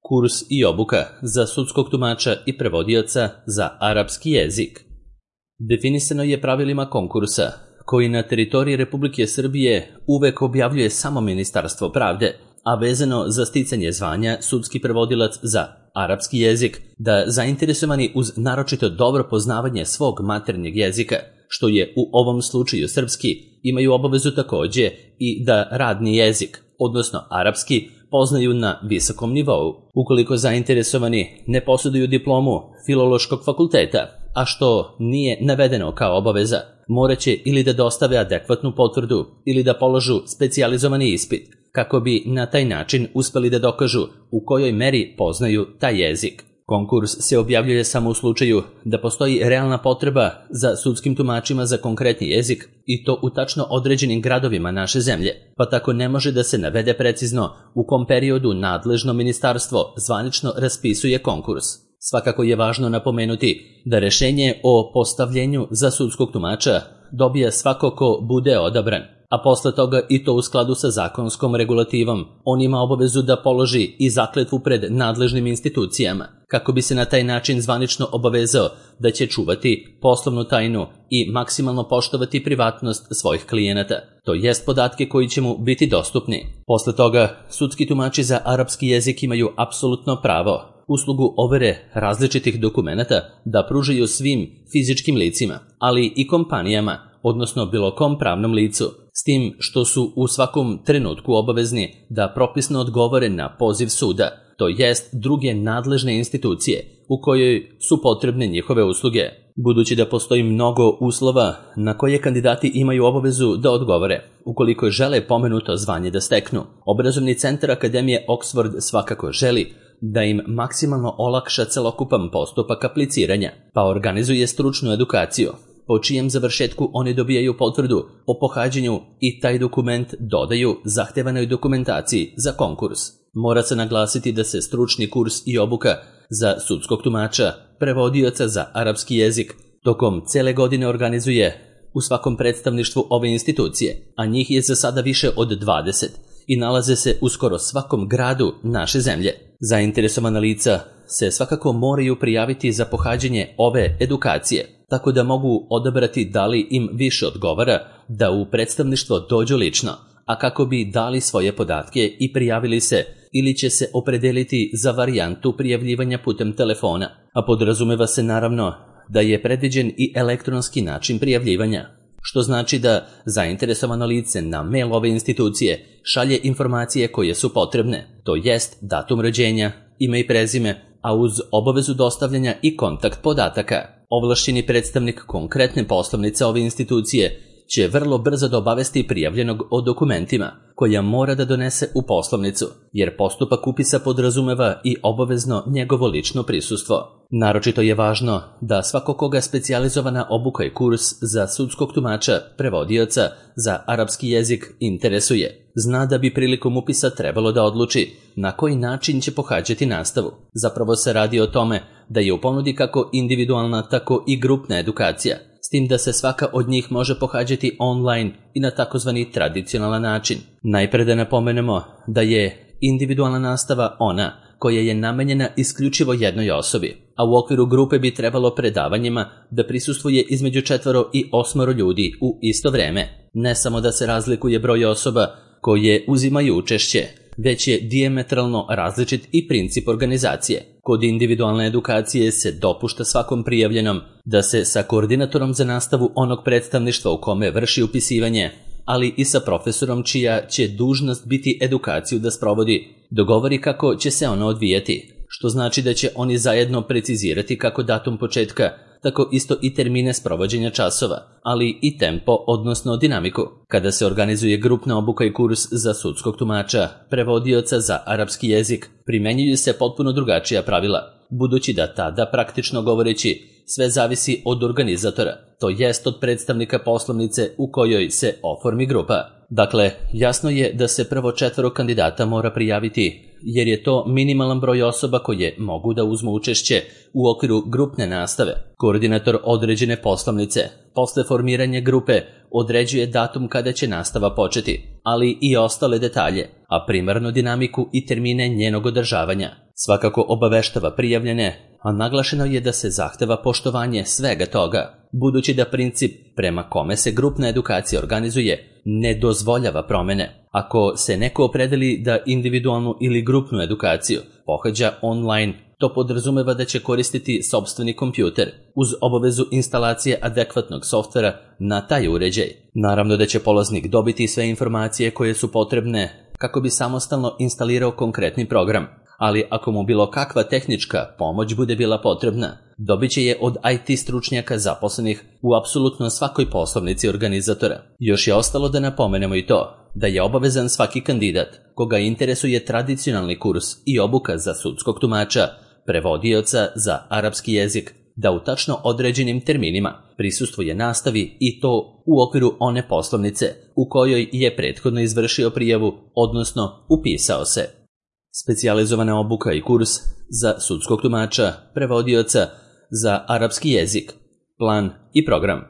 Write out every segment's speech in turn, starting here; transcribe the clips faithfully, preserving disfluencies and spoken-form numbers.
Kurs i obuka za sudskog tumača i prevodioca za arapski jezik. Definisano je pravilima konkursa, koji na teritoriji Republike Srbije uvek objavljuje samo Ministarstvo pravde, a vezano za sticanje zvanja sudski prevodilac za arapski jezik, da zainteresovani uz naročito dobro poznavanje svog maternjeg jezika, što je u ovom slučaju srpski, imaju obavezu takođe i da radni jezik, odnosno arapski, poznaju na visokom nivou. Ukoliko zainteresovani ne posjeduju diplomu Filološkog fakulteta, a što nije navedeno kao obaveza, moraće ili da dostave adekvatnu potvrdu ili da položu specijalizovani ispit, kako bi na taj način uspeli da dokažu u kojoj meri poznaju taj jezik. Konkurs se objavljuje samo u slučaju da postoji realna potreba za sudskim tumačima za konkretni jezik i to u tačno određenim gradovima naše zemlje, pa tako ne može da se navede precizno u kom periodu nadležno ministarstvo zvanično raspisuje konkurs. Svakako je važno napomenuti da rešenje o postavljenju za sudskog tumača dobija svako ko bude odabran, a posle toga i to u skladu sa zakonskom regulativom. On ima obavezu da položi i zakletvu pred nadležnim institucijama, kako bi se na taj način zvanično obavezao da će čuvati poslovnu tajnu i maksimalno poštovati privatnost svojih klijenata, to jest podatke koji će mu biti dostupni. Posle toga, sudski tumači za arapski jezik imaju apsolutno pravo uslugu overe različitih dokumenata da pružaju svim fizičkim licima, ali i kompanijama, odnosno bilo kom pravnom licu, s tim što su u svakom trenutku obavezni da propisno odgovore na poziv suda, to jest druge nadležne institucije u kojoj su potrebne njihove usluge. Budući da postoji mnogo uslova na koje kandidati imaju obavezu da odgovore, ukoliko žele pomenuto zvanje da steknu, obrazovni centar Akademije Oxford svakako želi da im maksimalno olakša celokupan postupak apliciranja, pa organizuje stručnu edukaciju, po čijem završetku oni dobijaju potvrdu o pohađanju i taj dokument dodaju zahtevanoj dokumentaciji za konkurs. Mora se naglasiti da se stručni kurs i obuka za sudskog tumača, prevodioca za arapski jezik, tokom cele godine organizuje u svakom predstavništvu ove institucije, a njih je za sada više od dvadeset i nalaze se u skoro svakom gradu naše zemlje. Zainteresovana lica se svakako moraju prijaviti za pohađanje ove edukacije, tako da mogu odabrati da li im više odgovara da u predstavništvo dođu lično, a kako bi dali svoje podatke i prijavili se, ili će se opredeliti za varijantu prijavljivanja putem telefona, a podrazumeva se naravno da je predviđen i elektronski način prijavljivanja, što znači da zainteresovano lice na mail ove institucije šalje informacije koje su potrebne, to jest datum rođenja, ime i prezime, a uz obavezu dostavljanja i kontakt podataka. Ovlašćeni predstavnik konkretne poslovnice ove institucije će vrlo brzo da obavesti prijavljenog o dokumentima koja mora da donese u poslovnicu, jer postupak upisa podrazumeva i obavezno njegovo lično prisustvo. Naročito je važno da svako koga specijalizovana obuka i kurs za sudskog tumača, prevodioca za arapski jezik interesuje, zna da bi prilikom upisa trebalo da odluči na koji način će pohađati nastavu. Zapravo se radi o tome da je u ponudi kako individualna, tako i grupna edukacija, s tim da se svaka od njih može pohađati online i na takozvani tradicionalan način. Najpre da napomenemo da je individualna nastava ona koja je namenjena isključivo jednoj osobi, a u okviru grupe bi trebalo predavanjima da prisustvuje između četvoro i osmoro ljudi u isto vreme. Ne samo da se razlikuje broj osoba koje uzimaju učešće, već je dijametralno različit i princip organizacije. Kod individualne edukacije se dopušta svakom prijavljenom da se sa koordinatorom za nastavu onog predstavništva u kome vrši upisivanje, ali i sa profesorom čija će dužnost biti edukaciju da sprovodi, dogovori kako će se ono odvijati, što znači da će oni zajedno precizirati kako datum početka, tako isto i termine sprovođenja časova, ali i tempo, odnosno dinamiku. Kada se organizuje grupna obuka i kurs za sudskog tumača, prevodioca za arapski jezik, primenjuju se potpuno drugačija pravila, budući da tada, praktično govoreći, sve zavisi od organizatora, to jest od predstavnika poslovnice u kojoj se oformi grupa. Dakle, jasno je da se prvo četvoro kandidata mora prijaviti, jer je to minimalan broj osoba koje mogu da uzmu učešće u okviru grupne nastave. Koordinator određene poslovnice posle formiranja grupe određuje datum kada će nastava početi, ali i ostale detalje, a primarnu dinamiku i termine njenog održavanja. svakako obaveštava prijavljene, a naglašeno je da se zahteva poštovanje svega toga, budući da princip prema kome se grupna edukacija organizuje ne dozvoljava promene. Ako se neko opredeli da individualnu ili grupnu edukaciju pohađa online, to podrazumeva da će koristiti sopstveni kompjuter uz obavezu instalacije adekvatnog softvera na taj uređaj. Naravno da će polaznik dobiti sve informacije koje su potrebne kako bi samostalno instalirao konkretni program, ali ako mu bilo kakva tehnička pomoć bude bila potrebna, dobit će je od I T stručnjaka zaposlenih u apsolutno svakoj poslovnici organizatora. Još je ostalo da napomenemo i to da je obavezan svaki kandidat koga interesuje tradicionalni kurs i obuka za sudskog tumača, prevodioca za arapski jezik, da u tačno određenim terminima prisustvuje nastavi i to u okviru one poslovnice u kojoj je prethodno izvršio prijavu, odnosno upisao se. Specijalizovana obuka i kurs za sudskog tumača, prevodioca za arapski jezik, plan i program.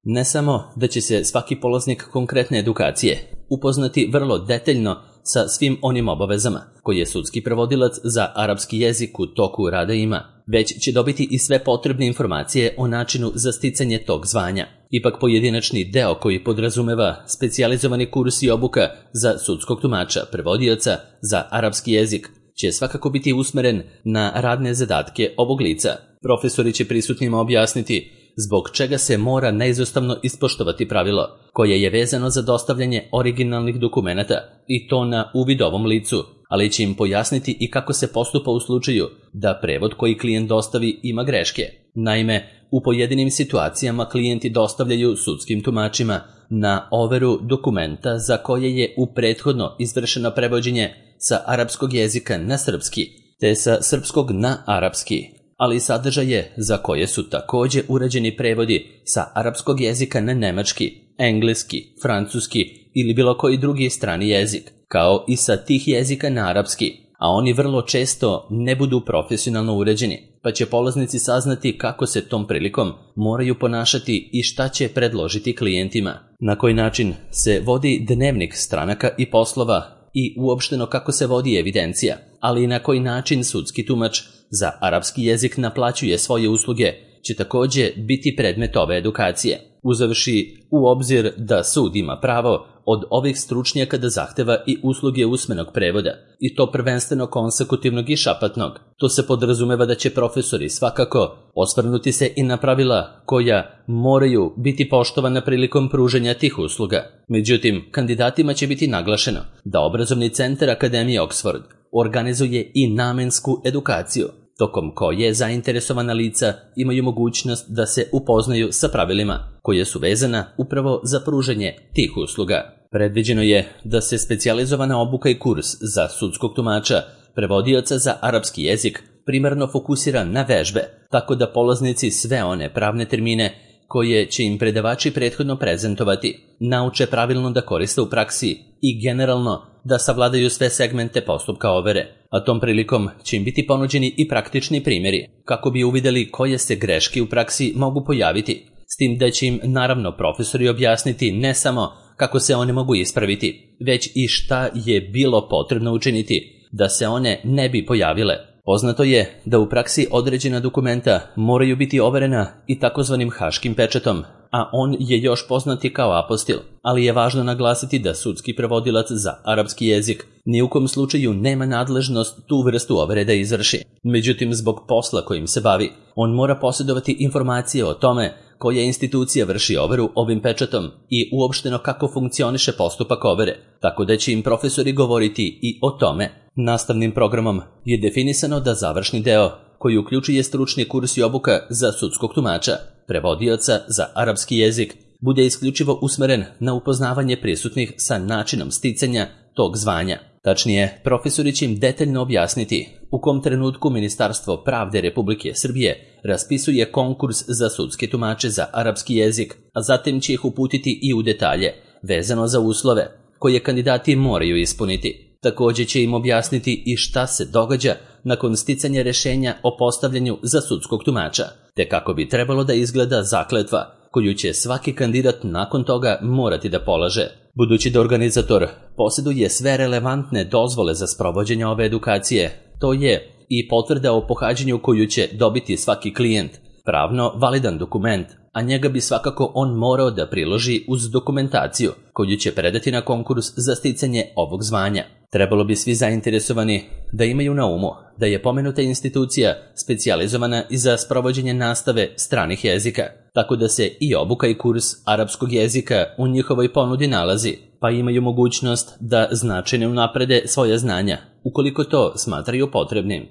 Ne samo da će se svaki polaznik konkretne edukacije upoznati vrlo detaljno sa svim onim obavezama koje sudski prevodilac za arapski jezik u toku rada ima, već će dobiti i sve potrebne informacije o načinu za sticanje tog zvanja. Ipak pojedinačni deo koji podrazumeva specijalizovani kurs i obuka za sudskog tumača, prevodioca za arapski jezik će svakako biti usmeren na radne zadatke ovog lica. Profesori će prisutnima objasniti zbog čega se mora neizostavno ispoštovati pravilo koje je vezano za dostavljanje originalnih dokumenata i to na uvid ovom licu, ali će im pojasniti i kako se postupa u slučaju da prevod koji klijent dostavi ima greške. Naime, u pojedinim situacijama klijenti dostavljaju sudskim tumačima na overu dokumenta za koje je u prethodno izvršeno prevođenje sa arapskog jezika na srpski, te sa srpskog na arapski, ali sadržaje za koje su takođe urađeni prevodi sa arapskog jezika na nemački, engleski, francuski ili bilo koji drugi strani jezik, kao i sa tih jezika na arapski, a oni vrlo često ne budu profesionalno uređeni, pa će polaznici saznati kako se tom prilikom moraju ponašati i šta će predložiti klijentima, na koji način se vodi dnevnik stranaka i poslova i uopšteno kako se vodi evidencija, ali i na koji način sudski tumač za arapski jezik naplaćuje svoje usluge, će takođe biti predmet ove edukacije, uzevši u obzir da sud ima pravo od ovih stručnjaka da zahteva i usluge usmenog prevoda, i to prvenstveno konsekutivnog i šapatnog. To se podrazumeva da će profesori svakako osvrnuti se i na pravila koja moraju biti poštovana prilikom pružanja tih usluga. Međutim, kandidatima će biti naglašeno da obrazovni centar Akademije Oxford organizuje i namensku edukaciju, tokom koje zainteresovana lica imaju mogućnost da se upoznaju sa pravilima koje su vezana upravo za pružanje tih usluga. Predviđeno je da se specijalizovana obuka i kurs za sudskog tumača, prevodioca za arapski jezik primarno fokusira na vežbe, tako da polaznici sve one pravne termine koje će im predavači prethodno prezentovati nauče pravilno da koriste u praksi i generalno da savladaju sve segmente postupka overe, a tom prilikom će im biti ponuđeni i praktični primjeri kako bi uvideli koje se greške u praksi mogu pojaviti, s tim da će im naravno profesori objasniti ne samo kako se one mogu ispraviti, već i šta je bilo potrebno učiniti da se one ne bi pojavile. Poznato je da u praksi određena dokumenta moraju biti overena i takozvanim haškim pečatom, a on je još poznati kao apostil, ali je važno naglasiti da sudski prevodilac za arapski jezik ni u kom slučaju nema nadležnost tu vrstu overe da izvrši. Međutim, zbog posla kojim se bavi, on mora posjedovati informacije o tome koja institucija vrši overu ovim pečatom i uopšteno kako funkcioniše postupak overe, tako da će im profesori govoriti i o tome. Nastavnim programom je definisano da završni deo, koji uključuje stručni kurs i obuka za sudskog tumača, prevodioca za arapski jezik, bude isključivo usmeren na upoznavanje prisutnih sa načinom sticanja tog zvanja. Tačnije, profesori će im detaljno objasniti u kom trenutku Ministarstvo pravde Republike Srbije raspisuje konkurs za sudske tumače za arapski jezik, a zatim će ih uputiti i u detalje, vezano za uslove koje kandidati moraju ispuniti. Takođe će im objasniti i šta se događa nakon sticanja rešenja o postavljanju za sudskog tumača, te kako bi trebalo da izgleda zakletva koju će svaki kandidat nakon toga morati da polaže. Budući da organizator posjeduje sve relevantne dozvole za sprovođenje ove edukacije, to je i potvrda o pohađanju koju će dobiti svaki klijent, pravno validan dokument, a njega bi svakako on morao da priloži uz dokumentaciju koju će predati na konkurs za sticanje ovog zvanja. Trebalo bi svi zainteresovani da imaju na umu da je pomenuta institucija specijalizovana i za sprovođenje nastave stranih jezika, tako da se i obuka i kurs arapskog jezika u njihovoj ponudi nalazi, pa imaju mogućnost da značajno unaprede svoja znanja, ukoliko to smatraju potrebnim.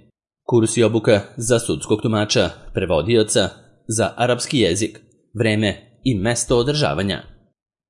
Kurs i obuka za sudskog tumača, prevodioca, za arapski jezik, vreme i mesto održavanja.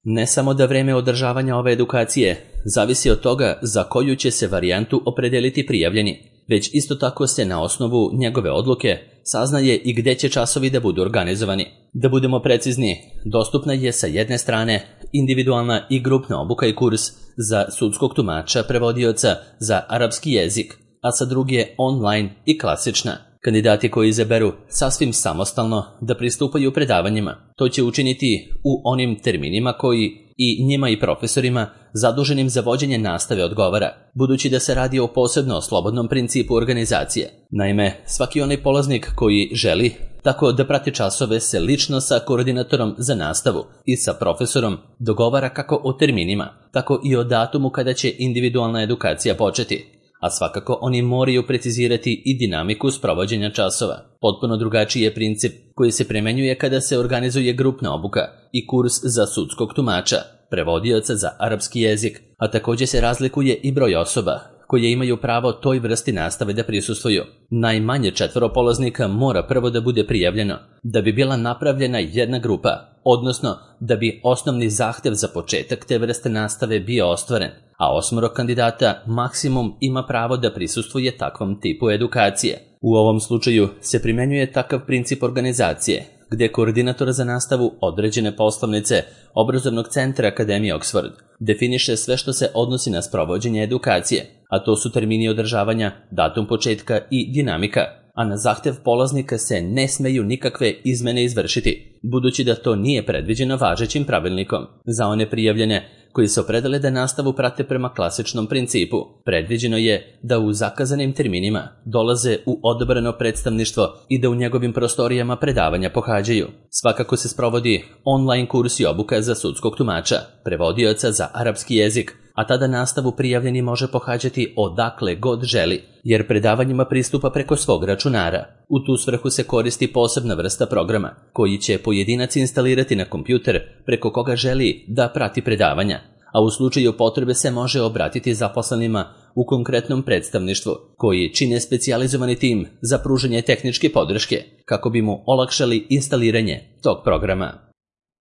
Ne samo da vreme održavanja ove edukacije zavisi od toga za koju će se varijantu opredeliti prijavljeni, već isto tako se na osnovu njegove odluke saznaje i gde će časovi da budu organizovani. Da budemo precizni, dostupna je sa jedne strane individualna i grupna obuka i kurs za sudskog tumača, prevodioca za arapski jezik, a sa druge online i klasična. Kandidati koji izaberu sasvim samostalno da pristupaju predavanjima, to će učiniti u onim terminima koji i njima i profesorima zaduženim za vođenje nastave odgovara, budući da se radi o posebno slobodnom principu organizacije. Naime, svaki onaj polaznik koji želi tako da prati časove se lično sa koordinatorom za nastavu i sa profesorom dogovara kako o terminima, tako i o datumu kada će individualna edukacija početi. A svakako oni moraju precizirati i dinamiku sprovođenja časova. Potpuno drugačiji je princip koji se primenjuje kada se organizuje grupna obuka i kurs za sudskog tumača, prevodioca za arapski jezik, a također se razlikuje i broj osoba koje imaju pravo toj vrsti nastave da prisustvuju. Najmanje četvoro polaznika mora prvo da bude prijavljeno, da bi bila napravljena jedna grupa, odnosno da bi osnovni zahtev za početak te vrste nastave bio ostvaren, a osmoro kandidata maksimum ima pravo da prisustvuje takvom tipu edukacije. U ovom slučaju se primenjuje takav princip organizacije, gde koordinator za nastavu određene poslovnice obrazovnog centra Akademije Oxford definiše sve što se odnosi na sprovođenje edukacije, a to su termini održavanja, datum početka i dinamika, a na zahtev polaznika se ne smeju nikakve izmene izvršiti, budući da to nije predviđeno važećim pravilnikom. Za one prijavljene koji se opredele da nastavu prate prema klasičnom principu, predviđeno je da u zakazanim terminima dolaze u odabrano predstavništvo i da u njegovim prostorijama predavanja pohađaju. Svakako se sprovodi online kurs i obuka za sudskog tumača, prevodioca za arapski jezik, a tada nastavu prijavljeni može pohađati odakle god želi, jer predavanjima pristupa preko svog računara. U tu svrhu se koristi posebna vrsta programa, koji će pojedinac instalirati na kompjuter preko koga želi da prati predavanja, a u slučaju potrebe se može obratiti zaposlenima u konkretnom predstavništvu, koji čine specijalizovani tim za pružanje tehničke podrške, kako bi mu olakšali instaliranje tog programa.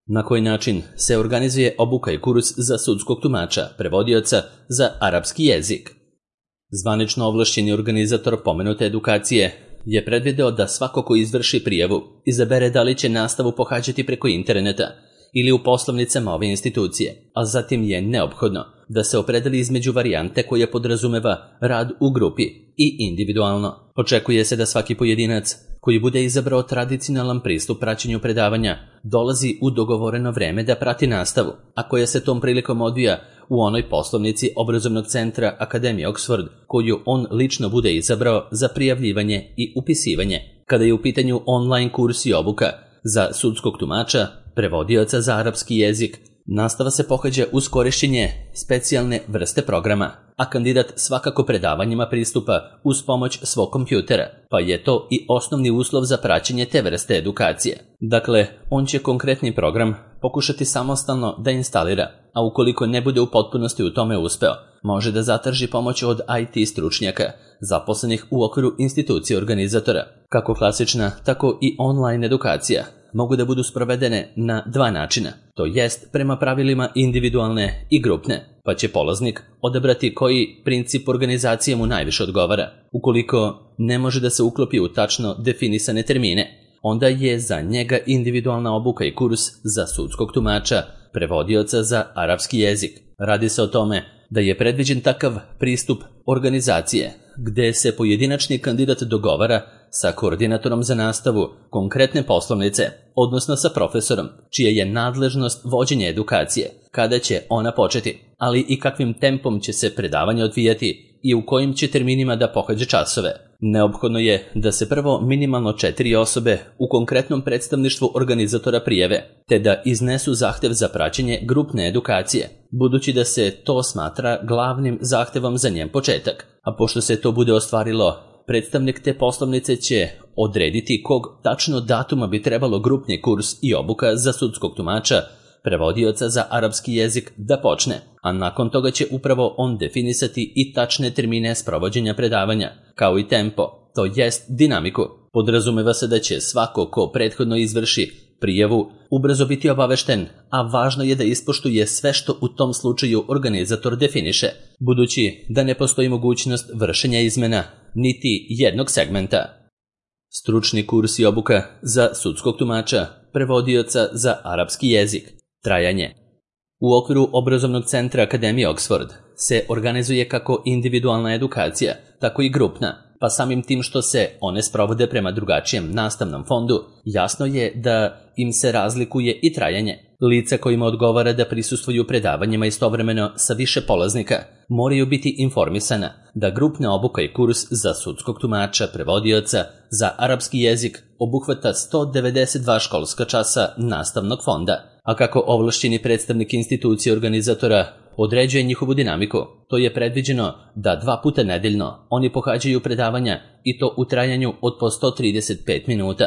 Na koji način se organizuje obuka i kurs za sudskog tumača, prevodioca za arapski jezik? Zvanično ovlašćeni organizator pomenute edukacije je predvideo da svako ko izvrši prijavu izabere da li će nastavu pohađati preko interneta ili u poslovnicama ove institucije, a zatim je neophodno da se opredeli između varijante koja podrazumeva rad u grupi i individualno. Očekuje se da svaki pojedinac koji bude izabrao tradicionalan pristup praćenju predavanja dolazi u dogovoreno vreme da prati nastavu, a koja se tom prilikom odvija u onoj poslovnici obrazovnog centra Akademije Oxford koju on lično bude izabrao za prijavljivanje i upisivanje. Kada je u pitanju online kurs i obuka za sudskog tumača, prevodioca za arapski jezik, nastava se pohađa uz korišćenje specijalne vrste programa, a kandidat svakako predavanjima pristupa uz pomoć svog kompjutera, pa je to i osnovni uslov za praćenje te vrste edukacije. Dakle, on će konkretni program pokušati samostalno da instalira, a ukoliko ne bude u potpunosti u tome uspeo, može da zatraži pomoć od I T stručnjaka, zaposlenih u okviru institucije organizatora. Kako klasična, tako i online edukacija mogu da budu sprovedene na dva načina, to jest prema pravilima individualne i grupne, pa će polaznik odabrati koji princip organizacije mu najviše odgovara. Ukoliko ne može da se uklopi u tačno definisane termine, onda je za njega individualna obuka i kurs za sudskog tumača, prevodioca za arapski jezik. Radi se o tome da je predviđen takav pristup organizacije gde se pojedinačni kandidat dogovara sa koordinatorom za nastavu konkretne poslovnice, odnosno sa profesorom, čija je nadležnost vođenje edukacije, kada će ona početi, ali i kakvim tempom će se predavanje odvijati i u kojim će terminima da pohađa časove. Neophodno je da se prvo minimalno četiri osobe u konkretnom predstavništvu organizatora prijave, te da iznesu zahtev za praćenje grupne edukacije, budući da se to smatra glavnim zahtevom za njen početak. A pošto se to bude ostvarilo, predstavnik te poslovnice će odrediti kog tačno datuma bi trebalo grupni kurs i obuka za sudskog tumača, prevodioca za arapski jezik da počne, a nakon toga će upravo on definisati i tačne termine sprovođenja predavanja, kao i tempo, to jest dinamiku. Podrazumeva se da će svako ko prethodno izvrši prijavu ubrzo biti obavešten, a važno je da ispoštuje sve što u tom slučaju organizator definiše, budući da ne postoji mogućnost vršenja izmena niti jednog segmenta. Stručni kurs i obuka za sudskog tumača, prevodioca za arapski jezik. Trajanje. U okviru obrazovnog centra Akademije Oxford se organizuje kako individualna edukacija, tako i grupna, pa samim tim što se one sprovode prema drugačijem nastavnom fondu, jasno je da im se razlikuje i trajanje. Lica kojima odgovara da prisustvuju predavanjima istovremeno sa više polaznika moraju biti informisana da grupna obuka i kurs za sudskog tumača, prevodioca za arapski jezik obuhvata sto devedeset dva školska časa nastavnog fonda, a kako ovlašćeni predstavnik institucije organizatora određuje njihovu dinamiku, to je predviđeno da dva puta nedeljno oni pohađaju predavanja i to u trajanju od po sto trideset pet minuta,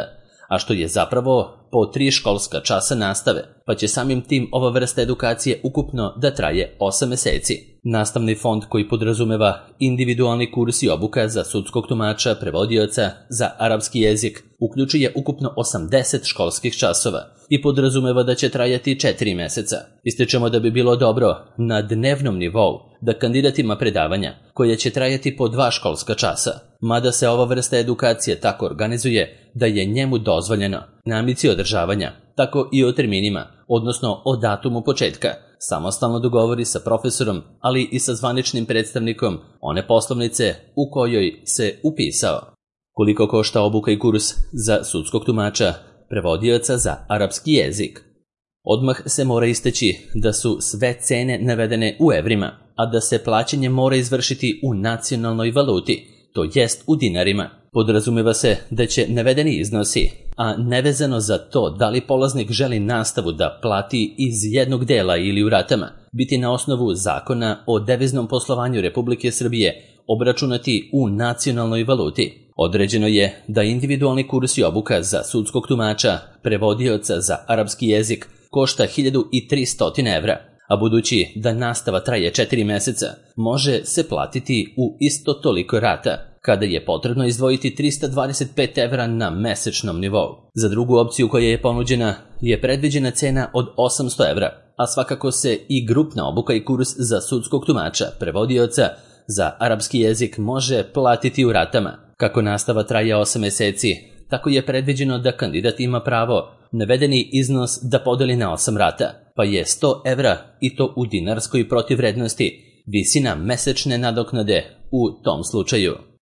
a što je zapravo po tri školska časa nastave, pa će samim tim ova vrsta edukacije ukupno da traje osam meseci. Nastavni fond koji podrazumeva individualni kurs i obuka za sudskog tumača, prevodioca za arapski jezik uključuje ukupno osamdeset školskih časova i podrazumeva da će trajati četiri meseca. Ističemo da bi bilo dobro na dnevnom nivou da kandidat ima predavanja koje će trajati po dva školska časa, mada se ova vrsta edukacije tako organizuje da je njemu dozvoljeno na ambiciji održavanja, tako i o terminima, odnosno o datumu početka, samostalno dogovori sa profesorom, ali i sa zvaničnim predstavnikom one poslovnice u kojoj se upisao. Koliko košta obuka i kurs za sudskog tumača, prevodioca za arapski jezik? Odmah se mora istaći da su sve cene navedene u evrima, a da se plaćanje mora izvršiti u nacionalnoj valuti, to jest u dinarima. Podrazumeva se da će navedeni iznosi, a nevezano za to da li polaznik želi nastavu da plati iz jednog dela ili u ratama, biti na osnovu zakona o deviznom poslovanju Republike Srbije obračunati u nacionalnoj valuti. Određeno je da individualni kurs i obuka za sudskog tumača, prevodioca za arapski jezik košta hiljadu tristo evra, a budući da nastava traje četiri meseca, može se platiti u isto toliko rata, kada je potrebno izdvojiti trista dvadeset pet evra na mesečnom nivou. Za drugu opciju koja je ponuđena je predviđena cena od osamsto evra, a svakako se i grupna obuka i kurs za sudskog tumača, prevodioca za arapski jezik može platiti u ratama. Kako nastava traje osam meseci, tako je predviđeno da kandidat ima pravo navedeni iznos da podeli na osam rata, pa je sto evra i to u dinarskoj protivvrednosti visina mesečne nadoknade u tom slučaju.